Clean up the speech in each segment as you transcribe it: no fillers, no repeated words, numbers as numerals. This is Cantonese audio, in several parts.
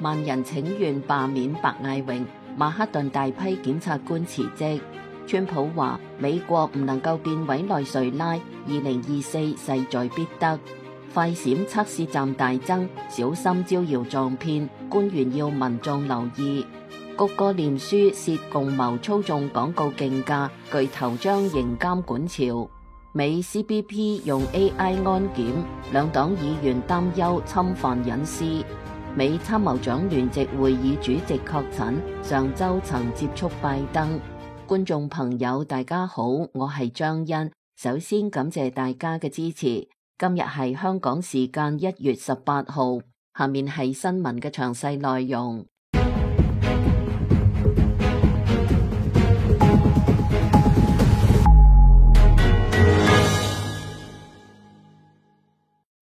萬人請願罷免白艾榮，曼克頓大批檢察官辭職。川普話美國唔能夠變委內瑞拉，2024勢在必得。快閃測試站大增，小心招搖撞騙，官員要民眾留意。谷歌臉書涉共謀操縱廣告競價，巨頭將迎監管潮。美 CBP 用 AI 安檢，兩黨議員擔憂侵犯隱私。美參謀長聯席會議主席確診，上週曾接觸拜登。觀眾朋友大家好，我係張欣，首先感謝大家嘅支持。今日係香港時間1月18號，下面係新聞嘅詳細內容。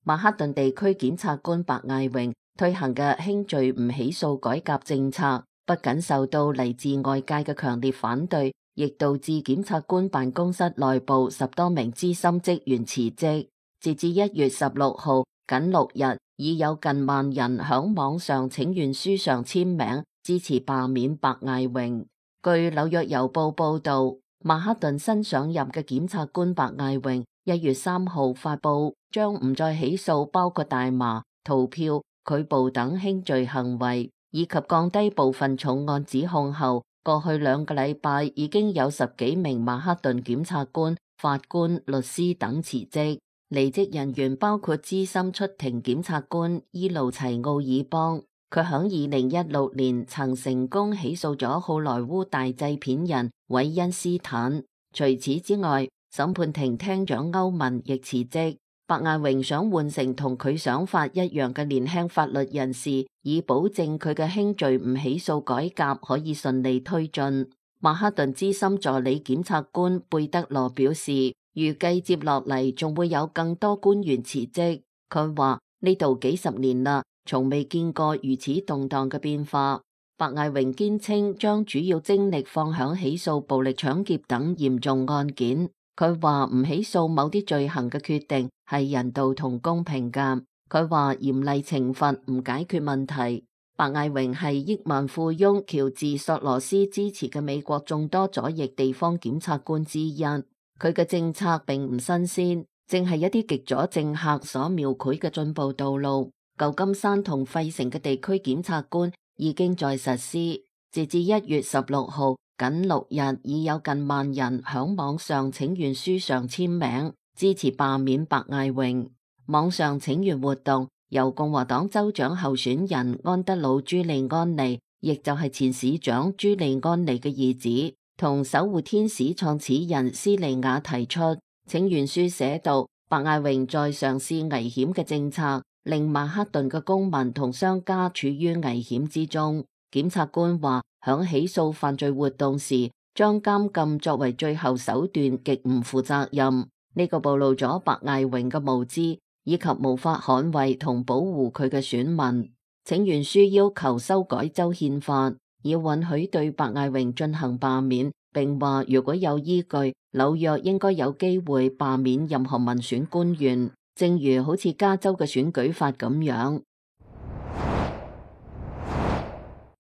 曼克頓地區檢察官白艾榮推行嘅輕罪唔起訴改革政策，不僅受到嚟自外界嘅強烈反對，亦導致檢察官辦公室內部10多名資深職員辭職。截至1月16號，僅6日，已有近萬人響網上請願書上簽名，支持罷免白艾榮。據紐約郵報報道，曼克頓新上任嘅檢察官白艾榮1月3號發布將唔再起訴包括大麻、逃票、拒捕等輕罪行為，以及降低部分重案指控後，過去2個禮拜已經有10幾名曼克頓檢察官、法官、律師等辭職。離職人員包括資深出庭檢察官伊路齊奧爾邦，佢響2016年曾成功起訴咗好萊塢大製片人韋恩斯坦。除此之外，審判庭廳長歐文亦辭職。白艾榮想換成同佢想法一樣嘅年輕法律人士，以保證佢嘅輕罪唔起訴改革可以順利推進。曼克頓資深助理檢察官貝德羅表示，預計接落嚟仲會有更多官員辭職。佢話呢度幾十年啦，從未見過如此動盪嘅變化。白艾榮堅稱將主要精力放響起訴暴力搶劫等嚴重案件。佢話唔起訴某啲罪行嘅決定係人道同公平㗎。佢話嚴厲懲罰唔解決問題。白艾榮係億萬富翁喬治索羅斯支持嘅美國眾多左翼地方檢察官之一。佢嘅政策並唔新鮮，正係一啲極左政客所描繪嘅進步道路。舊金山同費城嘅地區檢察官已經在實施。截至1月16號，僅6日已有近萬人響網上請願書上簽名，支持罷免白艾榮。網上請願活動由共和黨州長候選人安德魯·朱利安尼，亦就係前市長朱利安尼嘅兒子，同守護天使創始人斯利亞提出。請願書寫道，白艾榮在嘗試危險嘅政策，令曼克頓嘅公民同商家處於危險之中。檢察官話，響起訴犯罪活動時，將監禁作為最後手段極唔負責任。呢個暴露咗白艾榮嘅無知，以及無法捍衛同保護佢嘅選民。請願書要求修改州憲法，以允許對白艾榮進行罷免，並話如果有依據，紐約應該有機會罷免任何民選官員，正如好似加州嘅選舉法咁樣。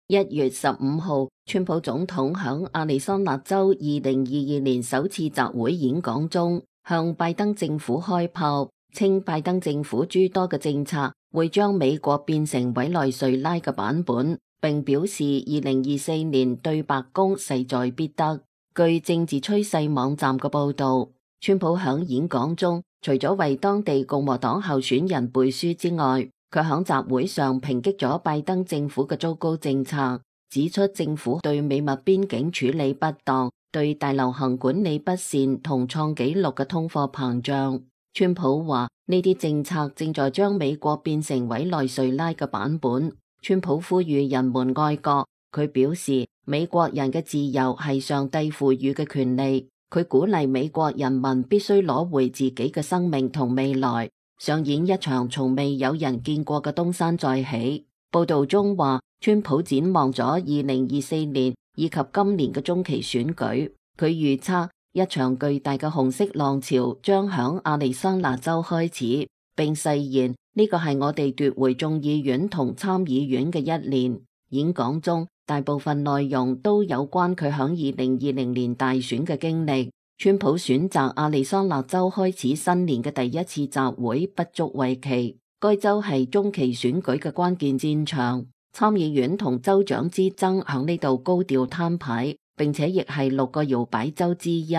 1月15號，川普總統響亞利桑那州2022年首次集會演講中，向拜登政府開炮，稱拜登政府諸多嘅政策會將美國變成委內瑞拉嘅版本，並表示2024年對白宮勢在必得。據政治趨勢網站嘅報道，川普響演講中除咗為當地共和黨候選人背書之外，佢響集會上抨擊咗拜登政府嘅糟糕政策，指出政府對美墨邊境處理不當，對大流行管理不善同創紀錄嘅通貨膨脹。川普話呢啲政策正在將美國變成委內瑞拉嘅版本。川普呼籲人們愛國，佢表示美國人嘅自由係上帝賦予嘅權利，佢鼓勵美國人民必須攞回自己嘅生命同未來，上演一場從未有人見過嘅東山再起。報道中話，川普展望咗2024年以及今年嘅中期選舉，佢預測一場巨大嘅紅色浪潮將響亞利桑那州開始。並誓言呢個係我哋奪回眾議院同參議院嘅一年。演講中大部分內容都有關佢響2020年大選嘅經歷。川普選擇亞利桑那州開始新年嘅第一次集會不足為奇，該州係中期選舉嘅關鍵戰場，參議院同州長之爭響呢度高調攤牌，並且亦係6個搖擺州之一。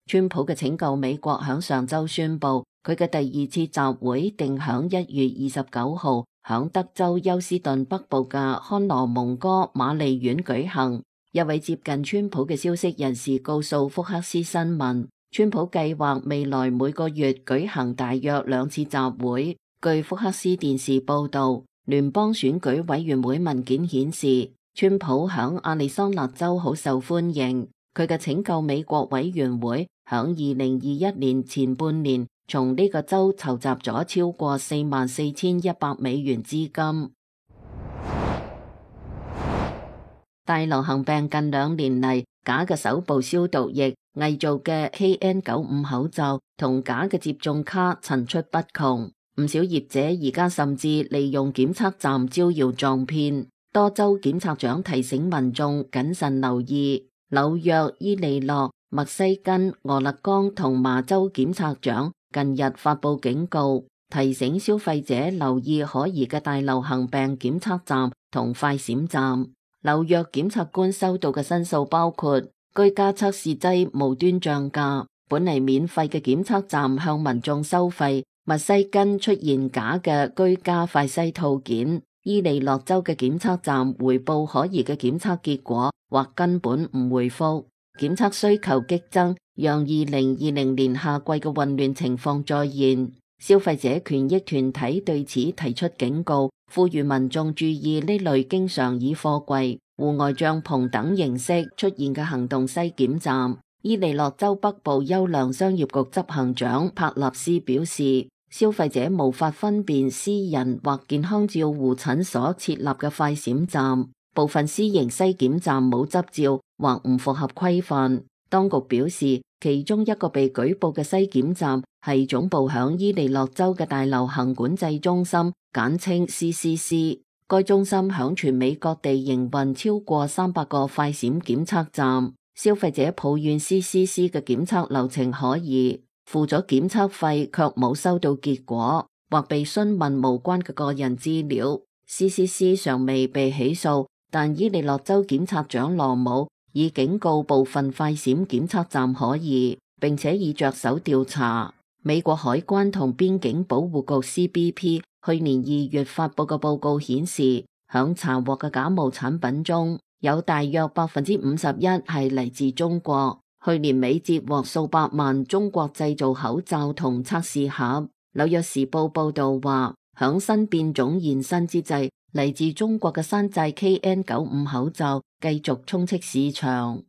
川普嘅拯救美國響上週宣布，佢嘅第二次集會定響1月29號響德州休斯頓北部嘅康羅蒙哥瑪麗縣舉行。一位接近川普嘅消息人士告訴福克斯新聞，川普計劃未來每個月舉行大約2次集會。據福克斯電視報道，聯邦選舉委員會文件顯示，川普響亞利桑那州好受歡迎。佢嘅拯救美國委員會響2021年前半年從呢個州籌集咗超過44,100美元資金。大流行病近2年嚟，假嘅手部消毒液、偽造嘅 KN95 口罩同假嘅接種卡層出不窮。唔少業者而家甚至利用檢測站招搖撞騙。多州檢察長提醒民眾謹慎留意。紐約、伊利諾、密西根、俄勒岡同麻州檢察長近日發布警告，提醒消費者留意可疑嘅大流行病檢測站同快閃站。紐約檢察官收到嘅申訴包括居家測試劑無端漲價，本嚟免費嘅檢測站向民眾收費；密西根出現假嘅居家快篩套件；伊利諾州嘅檢測站回報可疑嘅檢測結果，或根本唔回覆。檢測需求激增，讓2020年夏季嘅混亂情況再現。消費者權益團體對此提出警告，呼籲民眾注意呢類經常以貨櫃、戶外帳篷等形式出現嘅行動篩檢站。伊利諾州北部優良商業局執行長帕納斯表示，消費者無法分辨私人或健康照護診所設立嘅快閃站，部分私營篩檢站冇執照或唔符合規範。當局表示，其中一個被舉報嘅篩檢站係總部響伊利諾州嘅大流行管制中心，簡稱 CCC。該中心響全美各地營運超過300個快閃檢測站。消費者抱怨 CCC 嘅檢測流程可疑，付咗檢測費卻冇收到結果，或被詢問無關嘅個人資料。CCC 尚未被起訴，但伊利諾州檢察長羅姆已警告部分快閃檢測站可疑，並且已着手調查。美國海關同邊境保護局 CBP 去年2月發佈嘅報告顯示，響查獲嘅假冒產品中，有大約51%係嚟自中國。去年尾截獲數百萬中國製造口罩同測試盒。紐約時報報道話，響新變種現身之際，嚟自中國嘅山寨 KN95 口罩繼續充斥市場。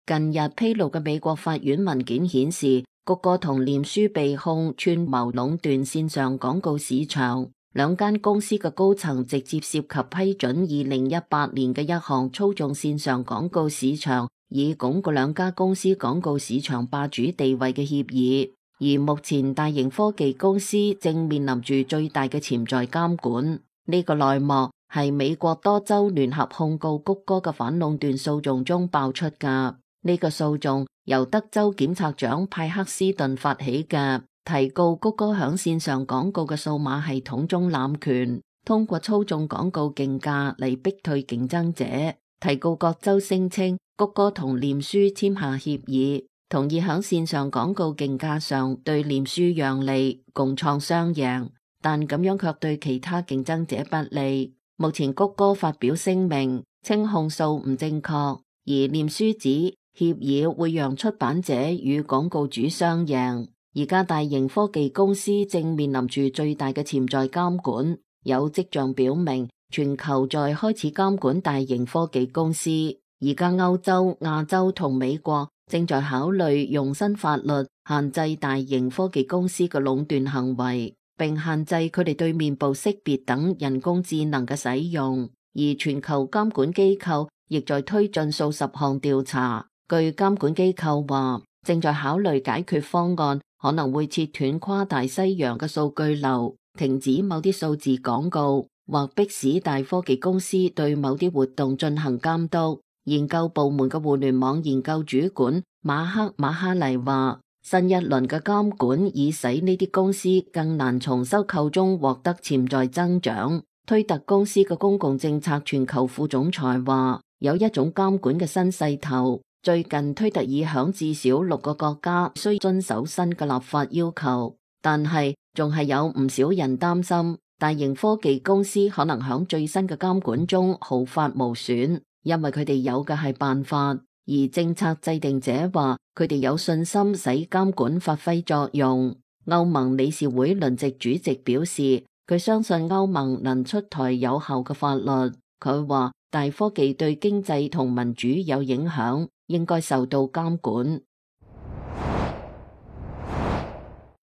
近日披露嘅美國法院文件顯示，谷歌同臉書被控串謀壟斷線上廣告市場。兩間公司嘅高層直接涉及批准2018年嘅一項操縱線上廣告市場，以鞏固兩家公司廣告市場霸主地位嘅協議。而目前大型科技公司正面臨住最大嘅潛在監管。呢個內幕係美國多州聯合控告谷歌嘅反壟斷訴訟中爆出㗎。呢個訴訟由德州檢察長派克斯頓發起嘅，提告谷歌響線上廣告嘅數碼系統中濫權，通過操縱廣告競價嚟逼退競爭者。提告各州聲稱谷歌同臉書簽下協議，同意響線上廣告競價上對臉書讓利，共創雙贏，但咁樣卻對其他競爭者不利。目前谷歌發表聲明，稱控訴唔正確，而臉書指協議會讓出版者與廣告主雙贏。而家大型科技公司正面臨住最大嘅潛在監管，有跡象表明全球在開始監管大型科技公司。而家歐洲、亞洲同美國正在考慮用新法律限制大型科技公司嘅壟斷行為，並限制佢哋對面部識別等人工智能嘅使用。而全球監管機構亦在推進數十項調查。據監管機構話，正在考慮解決方案，可能會切斷跨大西洋嘅數據流，停止某啲數字廣告，或迫使大科技公司對某啲活動進行監督。研究部門嘅互聯網研究主管馬克馬哈尼話，新一輪嘅監管已使呢啲公司更難從收購中獲得潛在增長。推特公司嘅公共政策全球副總裁話，有一種監管嘅新勢頭。最近推特已響至少6個國家需遵守新嘅立法要求，但係仲係有唔少人擔心大型科技公司可能響最新嘅監管中毫髮無損，因為佢哋有嘅係辦法，而政策制定者話佢哋有信心使監管發揮作用。歐盟理事會輪值主席表示，佢相信歐盟能出台有效嘅法律。佢話大科技對經濟同民主有影響，應該受到監管。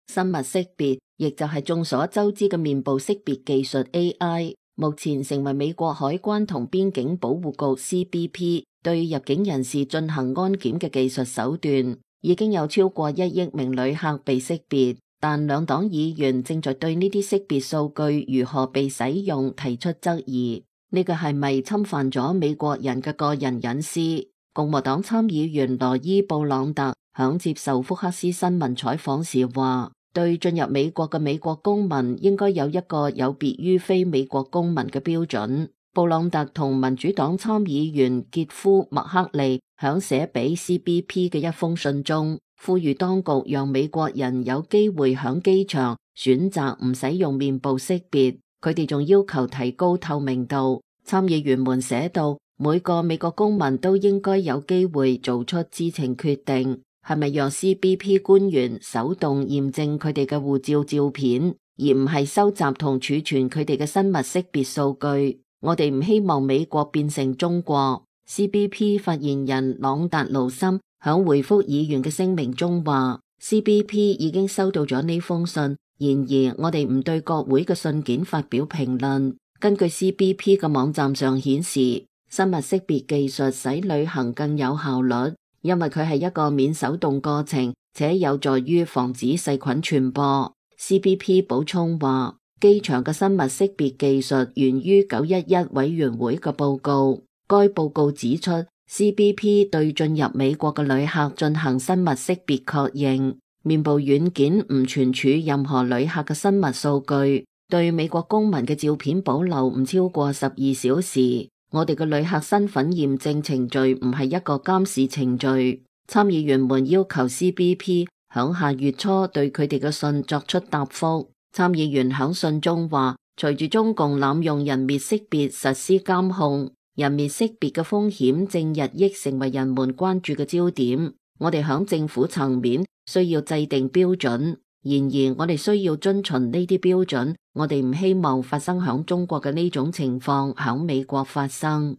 生物識別，亦就係眾所周知嘅面部識別技術 AI， 目前成為美國海關同邊境保護局 CBP 對入境人士進行安檢嘅技術手段。已經有超過1億名旅客被識別，但兩黨議員正在對呢啲識別數據如何被使用提出質疑。呢個係咪侵犯咗美國人嘅個人隱私？共和黨參議員羅伊布朗特響接受福克斯新聞採訪時話，對進入美國嘅美國公民應該有一個有別於非美國公民嘅標準。布朗特同民主黨參議員傑夫麥克利響寫俾 CBP 嘅一封信中，呼籲當局讓美國人有機會響機場選擇唔使用面部識別。佢哋仲要求提高透明度。參議員們寫道，每個美國公民都應該有機會做出知情決定，係咪讓 CBP 官員手動驗證佢哋嘅護照照片，而唔係收集同儲存佢哋嘅生物識別數據。我哋唔希望美國變成中國。CBP 發言人朗達盧森響回覆議員嘅聲明中話， CBP 已經收到咗呢封信，然而我哋唔對國會嘅信件發表評論。根據 CBP 嘅網站上顯示，生物識別技術使旅行更有效率，因為佢係一個免手動過程，且有助於防止細菌傳播。CBP 補充話，機場嘅生物識別技術源於911委員會嘅報告。該報告指出， CBP 對進入美國嘅旅客進行生物識別確認，面部軟件唔存儲任何旅客嘅生物數據，對美國公民嘅照片保留唔超過12小時。我哋嘅旅客身份驗證程序唔係一個監視程序。參議員們要求 CBP 響下月初對佢哋嘅信作出答覆。參議員響信中話，隨住中共濫用人面識別實施監控，人面識別嘅風險正日益成為人們關注嘅焦點。我哋響政府層面需要制定標準，然而我哋需要遵循呢啲標準。我哋唔希望發生響中國嘅呢種情況響美國發生。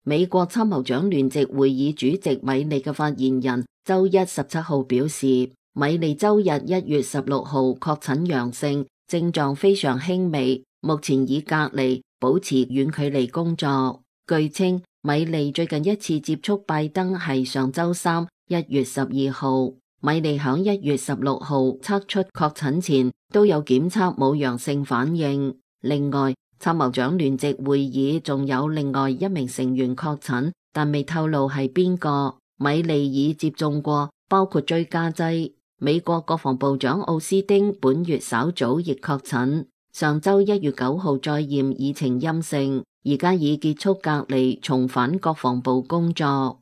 美國參謀長聯席會議主席米利嘅發言人周一17號表示，米利周日1月16號確診陽性，症狀非常輕微，目前已隔離，保持遠距離工作。據稱，米利最近一次接觸拜登係上周三1月12號。米利響1月16號測出確診前都有檢測冇陽性反應。另外，參謀長聯席會議仲有另外一名成員確診，但未透露係邊個。米利已接種過包括追加劑。美國國防部長奧斯汀本月稍早亦確診，上周1月9號再驗已呈陰性，而家已結束隔離，重返國防部工作。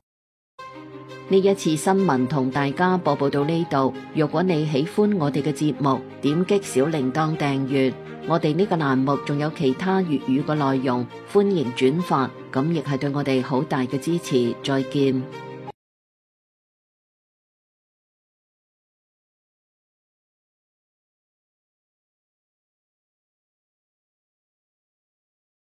呢一次新聞同大家播報到呢度。如果你喜歡我哋嘅節目，點擊小鈴鐺訂閱。我哋呢個欄目仲有其他粵語嘅內容，歡迎轉發，咁亦係對我哋好大嘅支持。再見。